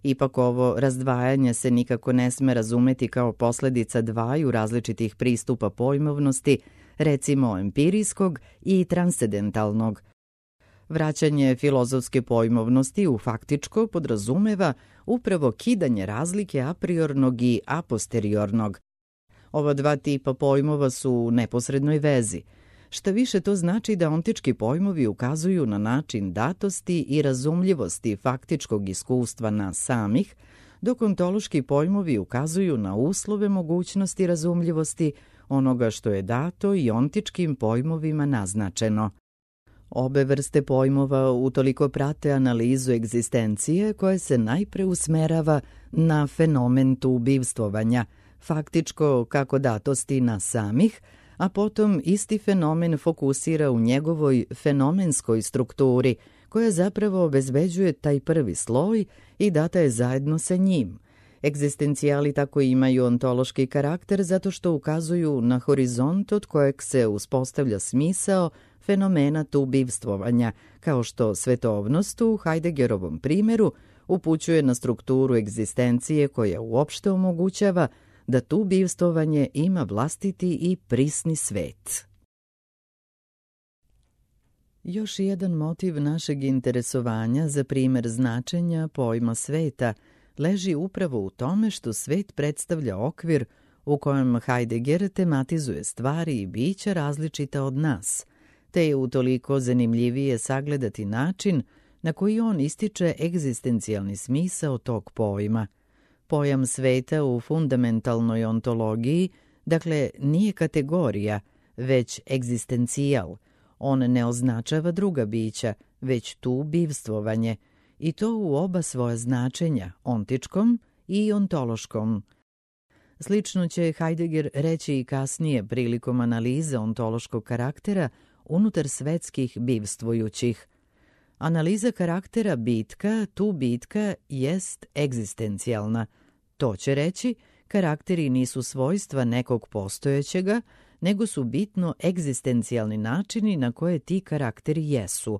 Ipak ovo razdvajanje se nikako ne sme razumeti kao posljedica dvaju različitih pristupa pojmovnosti, recimo empirijskog i transcendentalnog. Vraćanje filozofske pojmovnosti u faktičko podrazumeva upravo kidanje razlike apriornog i aposteriornog. Ova dva tipa pojmova su u neposrednoj vezi. Šta više, to znači da ontički pojmovi ukazuju na način datosti i razumljivosti faktičkog iskustva nas samih, dok ontološki pojmovi ukazuju na uslove mogućnosti razumljivosti onoga što je dato i ontičkim pojmovima naznačeno. Obe vrste pojmova utoliko prate analizu egzistencije koja se najpre usmerava na fenomen tu bivstvovanja, faktičko kako datosti nas samih, a potom isti fenomen fokusira u njegovoj fenomenskoj strukturi, koja zapravo obezbeđuje taj prvi sloj i data je zajedno sa njim. Egzistencijali tako imaju ontološki karakter zato što ukazuju na horizont od kojeg se uspostavlja smisao fenomena tu bivstvovanja, kao što svetovnost u Heideggerovom primjeru upućuje na strukturu egzistencije koja uopšte omogućava da tu bivstvovanje ima vlastiti i prisni svet. Još jedan motiv našeg interesovanja za primjer značenja pojma sveta leži upravo u tome što svet predstavlja okvir u kojem Heidegger tematizuje stvari i bića različita od nas, te je utoliko zanimljivije sagledati način na koji on ističe egzistencijalni smisao tog pojma. Pojam sveta u fundamentalnoj ontologiji, dakle, nije kategorija, već egzistencijal. On ne označava druga bića, već tu bivstvovanje, i to u oba svoja značenja, ontičkom i ontološkom. Slično će Heidegger reći i kasnije prilikom analize ontološkog karaktera unutar svetskih bivstvujućih. Analiza karaktera bitka, tu bitka, jest egzistencijalna. To će reći, karakteri nisu svojstva nekog postojećega, nego su bitno egzistencijalni načini na koje ti karakteri jesu.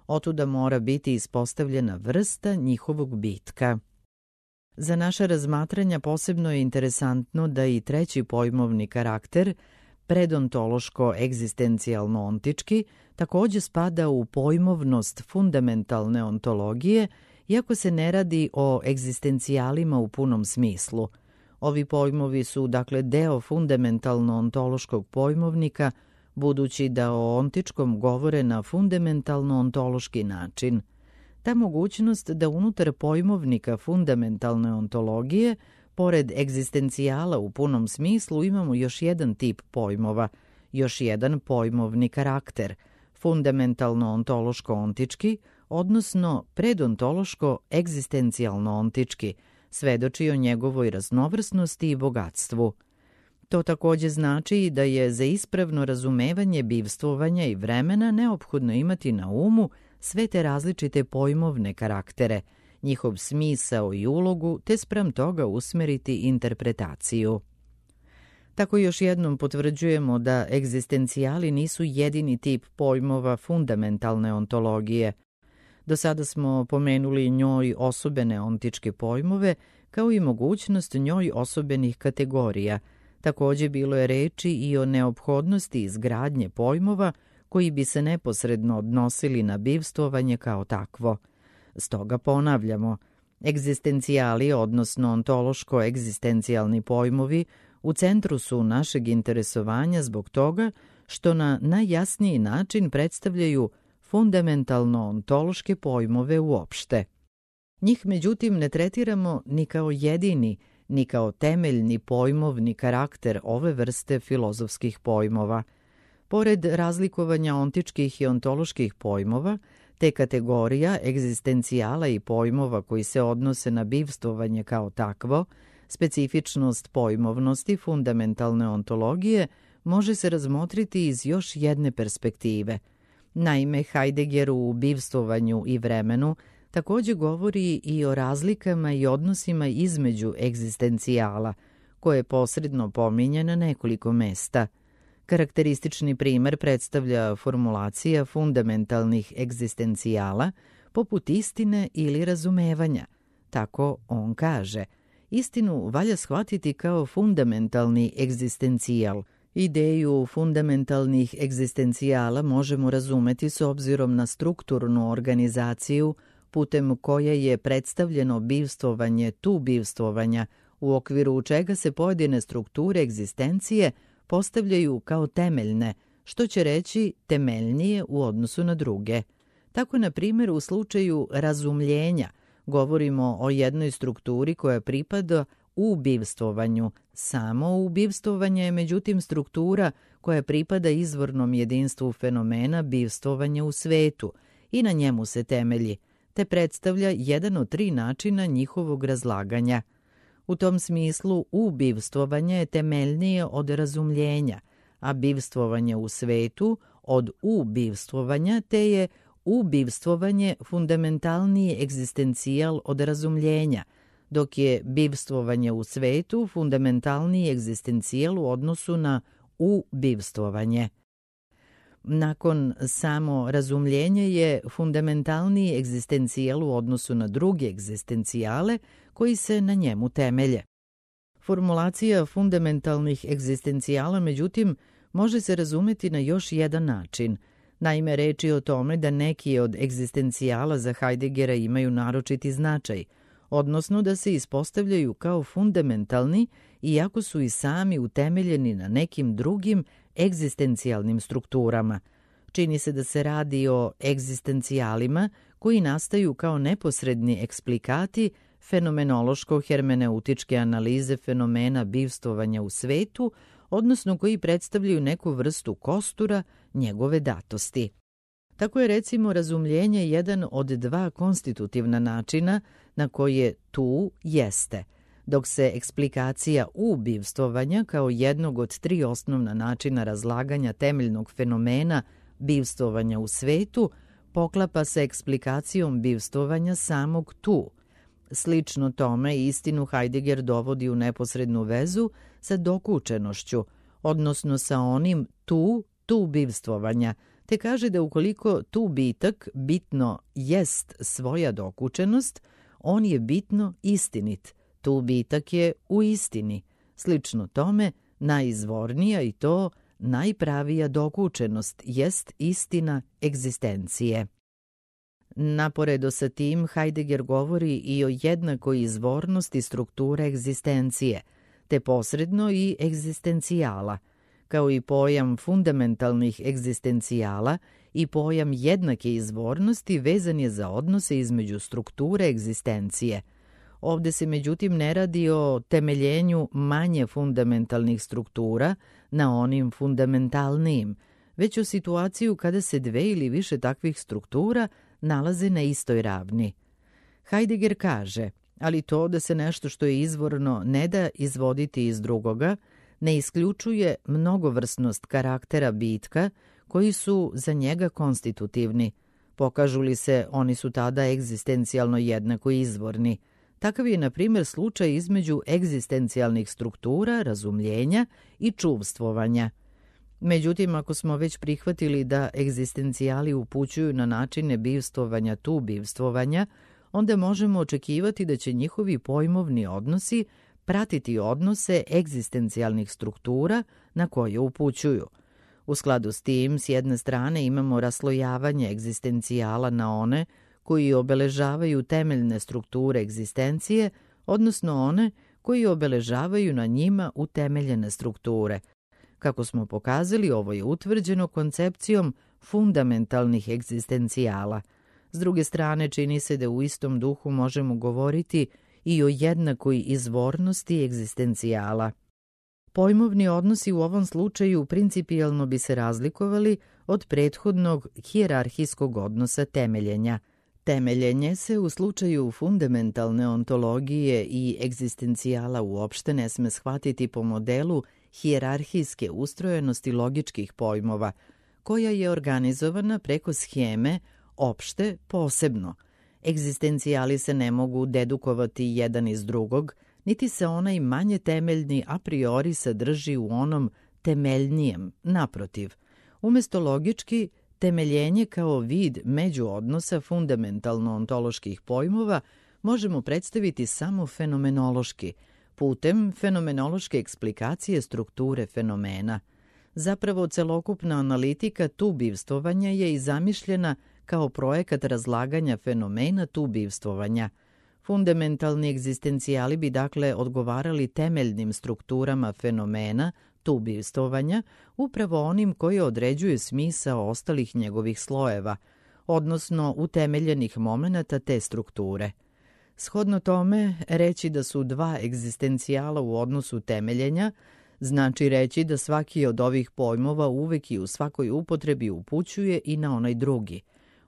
Otuda mora biti ispostavljena vrsta njihovog bitka. Za naša razmatranja posebno je interesantno da i treći pojmovni karakter, predontološko-egzistencijalno-ontički takođe spada u pojmovnost fundamentalne ontologije, iako se ne radi o egzistencijalima u punom smislu. Ovi pojmovi su dakle deo fundamentalno-ontološkog pojmovnika, budući da o ontičkom govore na fundamentalno-ontološki način. Ta mogućnost da unutar pojmovnika fundamentalne ontologije, pored egzistencijala u punom smislu, imamo još jedan tip pojmova, još jedan pojmovni karakter, fundamentalno-ontološko-ontički, odnosno predontološko-egzistencijalno-ontički, svedoči o njegovoj raznovrsnosti i bogatstvu. To takođe znači da je za ispravno razumevanje bivstvovanja i vremena neophodno imati na umu sve te različite pojmovne karaktere, njihov smisao i ulogu, te spram toga usmeriti interpretaciju. Tako još jednom potvrđujemo da egzistencijali nisu jedini tip pojmova fundamentalne ontologije. Do sada smo pomenuli njoj osobene ontičke pojmove, kao i mogućnost njoj osobenih kategorija. Takođe bilo je reči i o neophodnosti izgradnje pojmova koji bi se neposredno odnosili na bivstvovanje kao takvo. Stoga ponavljamo, egzistencijali, odnosno ontološko-egzistencijalni pojmovi, u centru su našeg interesovanja zbog toga što na najjasniji način predstavljaju fundamentalno-ontološke pojmove uopšte. Njih, međutim, ne tretiramo ni kao jedini, ni kao temeljni pojmovni karakter ove vrste filozofskih pojmova. Pored razlikovanja ontičkih i ontoloških pojmova, te kategorija egzistencijala i pojmova koji se odnose na bivstvovanje kao takvo, specifičnost pojmovnosti fundamentalne ontologije može se razmotriti iz još jedne perspektive. Naime, Heidegger u bivstvovanju i vremenu takođe govori i o razlikama i odnosima između egzistencijala, koje posredno pominje na nekoliko mesta. Karakteristični primer predstavlja formulacija fundamentalnih egzistencijala poput istine ili razumevanja. Tako on kaže, istinu valja shvatiti kao fundamentalni egzistencijal. Ideju fundamentalnih egzistencijala možemo razumeti s obzirom na strukturnu organizaciju putem koje je predstavljeno bivstvovanje tu bivstvovanja, u okviru čega se pojedine strukture egzistencije postavljaju kao temeljne, što će reći temeljnije u odnosu na druge. Tako, na primjer, u slučaju razumljenja govorimo o jednoj strukturi koja pripada u bivstvovanju. Samo ubivstvovanje je međutim struktura koja pripada izvornom jedinstvu fenomena bivstvovanja u svetu i na njemu se temelji, te predstavlja jedan od tri načina njihovog razlaganja. U tom smislu ubivstvovanje je temeljnije od razumljenja, a bivstvovanje u svetu od ubivstvovanja, te je ubivstvovanje fundamentalniji egzistencijal od razumljenja, dok je bivstvovanje u svetu fundamentalniji egzistencijal u odnosu na ubivstvovanje. Nakon samo razumljenje je fundamentalniji egzistencijal u odnosu na druge egzistencijale koji se na njemu temelje. Formulacija fundamentalnih egzistencijala, međutim, može se razumeti na još jedan način. Naime, reč je o tome da neki od egzistencijala za Heideggera imaju naročiti značaj, odnosno da se ispostavljaju kao fundamentalni, iako su i sami utemeljeni na nekim drugim egzistencijalnim strukturama. Čini se da se radi o egzistencijalima koji nastaju kao neposredni eksplikati fenomenološko-hermeneutičke analize fenomena bivstvovanja u svetu, odnosno koji predstavljaju neku vrstu kostura njegove datosti. Tako je recimo razumljenje jedan od dva konstitutivna načina na koje tu jeste, dok se eksplikacija ubivstvovanja kao jednog od tri osnovna načina razlaganja temeljnog fenomena bivstvovanja u svetu poklapa sa eksplikacijom bivstvovanja samog tu. Slično tome istinu Heidegger dovodi u neposrednu vezu sa dokučenošću, odnosno sa onim tu, tu bivstvovanja, te kaže da ukoliko tu bitak bitno jest svoja dokučenost, on je bitno istinit, tu bitak je u istini. Slično tome, najizvornija i to najpravija dokučenost jest istina egzistencije. Naporedo sa tim, Heidegger govori i o jednakoj izvornosti strukture egzistencije, te posredno i egzistencijala, kao i pojam fundamentalnih egzistencijala i pojam jednake izvornosti vezan je za odnose između strukture egzistencije. Ovde se međutim ne radi o temeljenju manje fundamentalnih struktura na onim fundamentalnijim, već o situaciju kada se dve ili više takvih struktura nalaze na istoj ravni. Heidegger kaže, ali to da se nešto što je izvorno ne da izvoditi iz drugoga, ne isključuje mnogovrsnost karaktera bitka koji su za njega konstitutivni. Pokažu li se, oni su tada egzistencijalno jednako izvorni. Takav je, na primjer, slučaj između egzistencijalnih struktura, razumljenja i čuvstvovanja. Međutim, ako smo već prihvatili da egzistencijali upućuju na načine bivstvovanja tu bivstvovanja, onda možemo očekivati da će njihovi pojmovni odnosi pratiti odnose egzistencijalnih struktura na koje upućuju. U skladu s tim, s jedne strane imamo raslojavanje egzistencijala na one koji obeležavaju temeljne strukture egzistencije, odnosno one koji obeležavaju na njima utemeljene strukture. Kako smo pokazali, ovo je utvrđeno koncepcijom fundamentalnih egzistencijala. S druge strane, čini se da u istom duhu možemo govoriti i o jednakoj izvornosti egzistencijala. Pojmovni odnosi u ovom slučaju principijelno bi se razlikovali od prethodnog hijerarhijskog odnosa temeljenja. Temeljenje se u slučaju fundamentalne ontologije i egzistencijala uopšte ne sme shvatiti po modelu hijerarhijske ustrojenosti logičkih pojmova, koja je organizovana preko sheme opšte posebno. Egzistencijali se ne mogu dedukovati jedan iz drugog, niti se onaj manje temeljni a priori sadrži u onom temeljnijem, naprotiv. Umesto logički, temeljenje kao vid međuodnosa fundamentalno-ontoloških pojmova možemo predstaviti samo fenomenološki, putem fenomenološke eksplikacije strukture fenomena. Zapravo, celokupna analitika tubivstvovanja je i zamišljena kao projekat razlaganja fenomena tubivstvovanja. Fundamentalni egzistencijali bi dakle odgovarali temeljnim strukturama fenomena tubivstvovanja, upravo onim koji određuju smisao ostalih njegovih slojeva, odnosno utemeljenih momenata te strukture. Shodno tome, reći da su dva egzistencijala u odnosu temeljenja znači reći da svaki od ovih pojmova uvek i u svakoj upotrebi upućuje i na onaj drugi.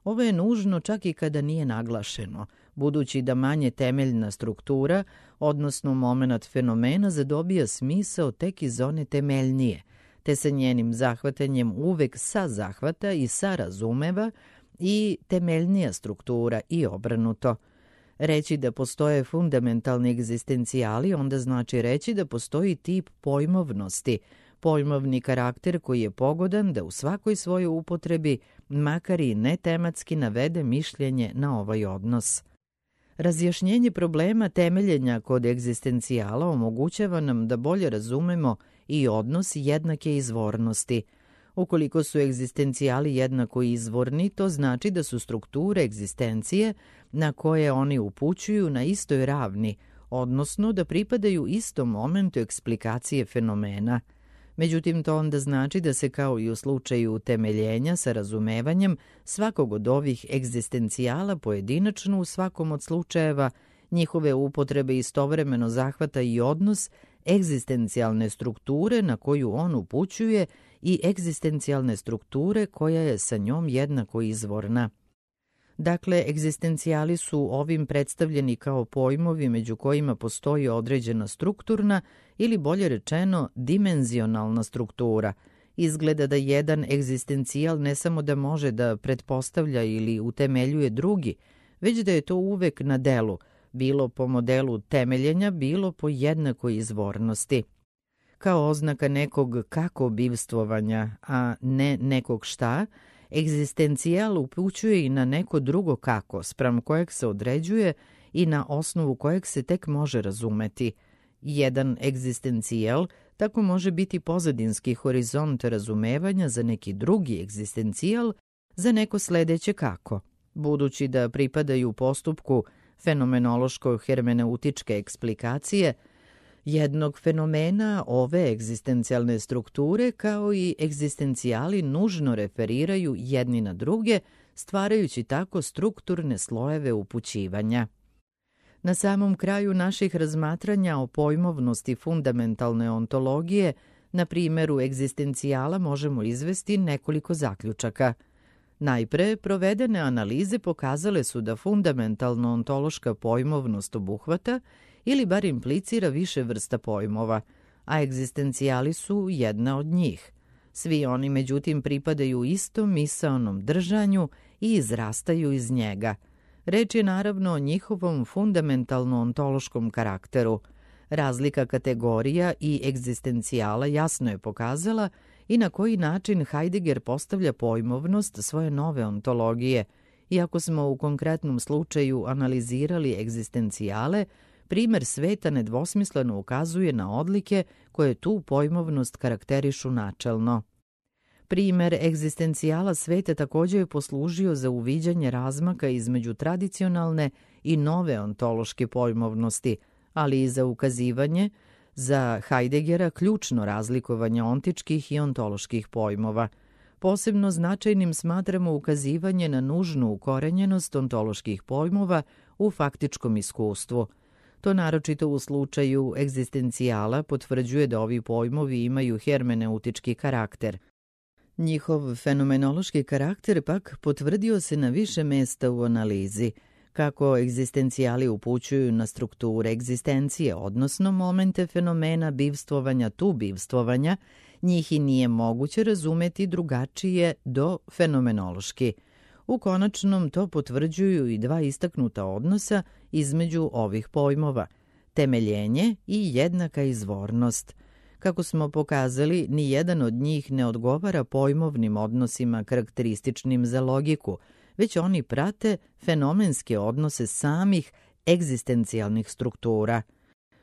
Ovo je nužno čak i kada nije naglašeno, budući da manje temeljna struktura, odnosno momenat fenomena, zadobija smisao tek iz one temeljnije, te se njenim zahvatanjem uvek sazahvata i sarazumeva i temeljnija struktura i obrnuto. Reći da postoje fundamentalni egzistencijali onda znači reći da postoji tip pojmovnosti, pojmovni karakter koji je pogodan da u svakoj svojoj upotrebi, makar i netematski, navede mišljenje na ovaj odnos. Razjašnjenje problema temeljenja kod egzistencijala omogućava nam da bolje razumemo i odnos jednake izvornosti. Ukoliko su egzistencijali jednako izvorni, to znači da su strukture egzistencije na koje oni upućuju na istoj ravni, odnosno da pripadaju istom momentu eksplikacije fenomena. Međutim, to onda znači da se kao i u slučaju utemeljenja sa razumevanjem svakog od ovih egzistencijala pojedinačno u svakom od slučajeva njihove upotrebe istovremeno zahvata i odnos egzistencijalne strukture na koju on upućuje i egzistencijalne strukture koja je sa njom jednako izvorna. Dakle, egzistencijali su ovim predstavljeni kao pojmovi među kojima postoji određena strukturna ili bolje rečeno dimenzionalna struktura. Izgleda da jedan egzistencijal ne samo da može da pretpostavlja ili utemeljuje drugi, već da je to uvek na delu, bilo po modelu temeljenja, bilo po jednakoj izvornosti. Kao oznaka nekog kako bivstvovanja, a ne nekog šta, egzistencijal upućuje i na neko drugo kako, spram kojeg se određuje i na osnovu kojeg se tek može razumeti. Jedan egzistencijal tako može biti pozadinski horizont razumevanja za neki drugi egzistencijal, za neko sledeće kako. Budući da pripadaju postupku fenomenološko-hermeneutičke eksplikacije jednog fenomena, ove egzistencijalne strukture kao i egzistencijali nužno referiraju jedni na druge, stvarajući tako strukturne slojeve upućivanja. Na samom kraju naših razmatranja o pojmovnosti fundamentalne ontologije, na primjeru egzistencijala možemo izvesti nekoliko zaključaka. Najpre, provedene analize pokazale su da fundamentalno ontološka pojmovnost obuhvata ili bar implicira više vrsta pojmova, a egzistencijali su jedna od njih. Svi oni, međutim, pripadaju istom misaonom držanju i izrastaju iz njega. Reč je naravno o njihovom fundamentalno-ontološkom karakteru. Razlika kategorija i egzistencijala jasno je pokazala i na koji način Heidegger postavlja pojmovnost svoje nove ontologije. Iako smo u konkretnom slučaju analizirali egzistencijale, primer sveta nedvosmisleno ukazuje na odlike koje tu pojmovnost karakterišu načelno. Primer egzistencijala sveta također je poslužio za uviđanje razmaka između tradicionalne i nove ontološke pojmovnosti, ali i za ukazivanje za Heideggera ključno razlikovanje ontičkih i ontoloških pojmova. Posebno značajnim smatramo ukazivanje na nužnu ukorenjenost ontoloških pojmova u faktičkom iskustvu. To naročito u slučaju egzistencijala potvrđuje da ovi pojmovi imaju hermeneutički karakter. Njihov fenomenološki karakter pak potvrdio se na više mesta u analizi. Kako egzistencijali upućuju na strukture egzistencije, odnosno momente fenomena bivstvovanja tu bivstvovanja, njih i nije moguće razumeti drugačije do fenomenološki. U konačnom to potvrđuju i dva istaknuta odnosa između ovih pojmova, temeljenje i jednaka izvornost. Kako smo pokazali, ni jedan od njih ne odgovara pojmovnim odnosima karakterističnim za logiku, već oni prate fenomenske odnose samih egzistencijalnih struktura.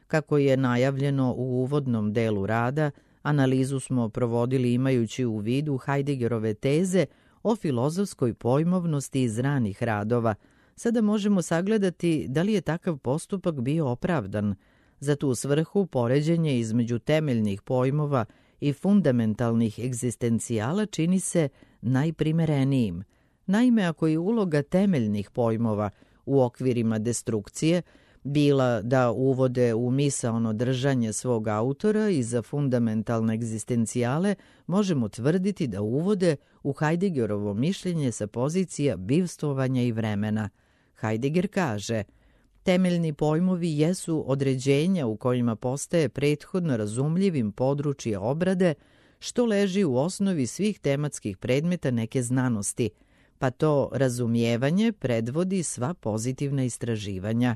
Kako je najavljeno u uvodnom delu rada, analizu smo provodili imajući u vidu Heideggerove teze o filozofskoj pojmovnosti iz ranih radova. Sada možemo sagledati da li je takav postupak bio opravdan. Za tu svrhu poređenje između temeljnih pojmova i fundamentalnih egzistencijala čini se najprimerenijim. Naime, ako je uloga temeljnih pojmova u okvirima destrukcije bila da uvode u misaono držanje svog autora i za fundamentalne egzistencijale, možemo tvrditi da uvode u Heideggerovo mišljenje sa pozicija bivstvovanja i vremena. Heidegger kaže: temeljni pojmovi jesu određenja u kojima postaje prethodno razumljivim područje obrade, što leži u osnovi svih tematskih predmeta neke znanosti, pa to razumijevanje predvodi sva pozitivna istraživanja.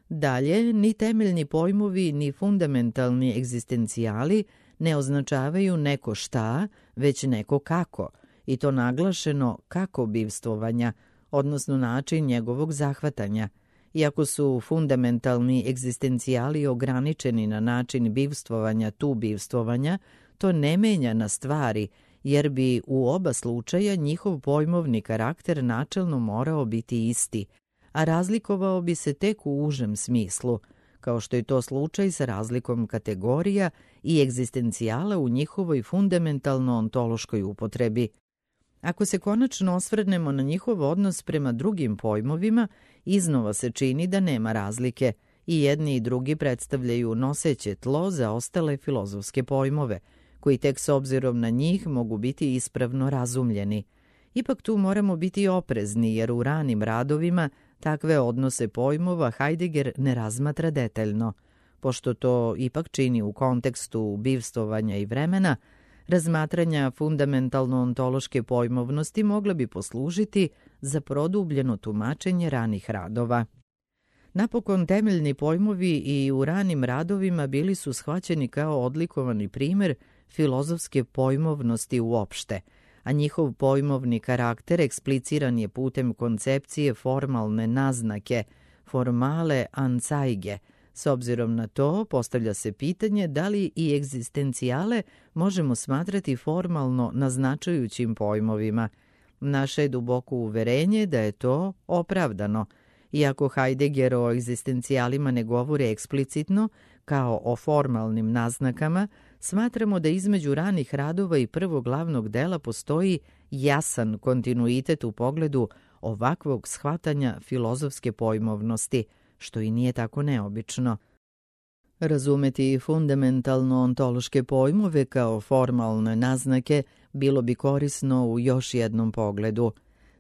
Dalje, ni temeljni pojmovi ni fundamentalni egzistencijali ne označavaju neko šta, već neko kako, i to naglašeno kako bivstvovanja, odnosno način njegovog zahvatanja. Iako su fundamentalni egzistencijali ograničeni na način bivstvovanja tu bivstvovanja, to ne menja na stvari, jer bi u oba slučaja njihov pojmovni karakter načelno morao biti isti, a razlikovao bi se tek u užem smislu, kao što je to slučaj sa razlikom kategorija i egzistencijala u njihovoj fundamentalno-ontološkoj upotrebi. Ako se konačno osvrnemo na njihov odnos prema drugim pojmovima, iznova se čini da nema razlike. I jedni i drugi predstavljaju noseće tlo za ostale filozofske pojmove, koji tek s obzirom na njih mogu biti ispravno razumljeni. Ipak tu moramo biti oprezni, jer u ranim radovima takve odnose pojmova Heidegger ne razmatra detaljno. Pošto to ipak čini u kontekstu bivstvovanja i vremena, razmatranja fundamentalno-ontološke pojmovnosti mogla bi poslužiti za produbljeno tumačenje ranih radova. Napokon, temeljni pojmovi i u ranim radovima bili su shvaćeni kao odlikovani primjer filozofske pojmovnosti uopšte, a njihov pojmovni karakter ekspliciran je putem koncepcije formalne naznake, formale anzeige, S obzirom na to, postavlja se pitanje da li i egzistencijale možemo smatrati formalno naznačujućim pojmovima. Naše je duboko uverenje da je to opravdano. Iako Heidegger o egzistencijalima ne govori eksplicitno, kao o formalnim naznakama, smatramo da između ranih radova i prvog glavnog dela postoji jasan kontinuitet u pogledu ovakvog shvatanja filozofske pojmovnosti, što i nije tako neobično. Razumeti fundamentalno ontološke pojmove kao formalne naznake bilo bi korisno u još jednom pogledu.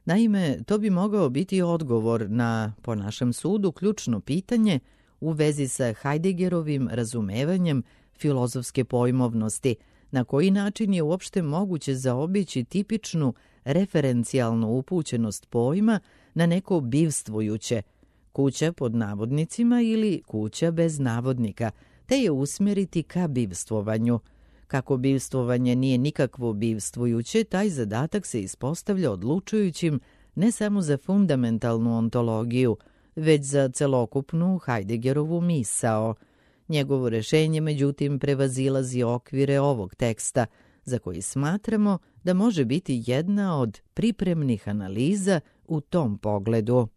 Naime, to bi mogao biti odgovor na, po našem sudu, ključno pitanje u vezi sa Heideggerovim razumevanjem filozofske pojmovnosti, na koji način je uopšte moguće zaobići tipičnu referencijalnu upućenost pojma na neko bivstvujuće, kuća pod navodnicima ili kuća bez navodnika, te je usmjeriti ka bivstvovanju. Kako bivstvovanje nije nikakvo bivstvujuće, taj zadatak se ispostavlja odlučujućim ne samo za fundamentalnu ontologiju, već za celokupnu Heideggerovu misao. Njegovo rešenje, međutim, prevazilazi okvire ovog teksta, za koji smatramo da može biti jedna od pripremnih analiza u tom pogledu.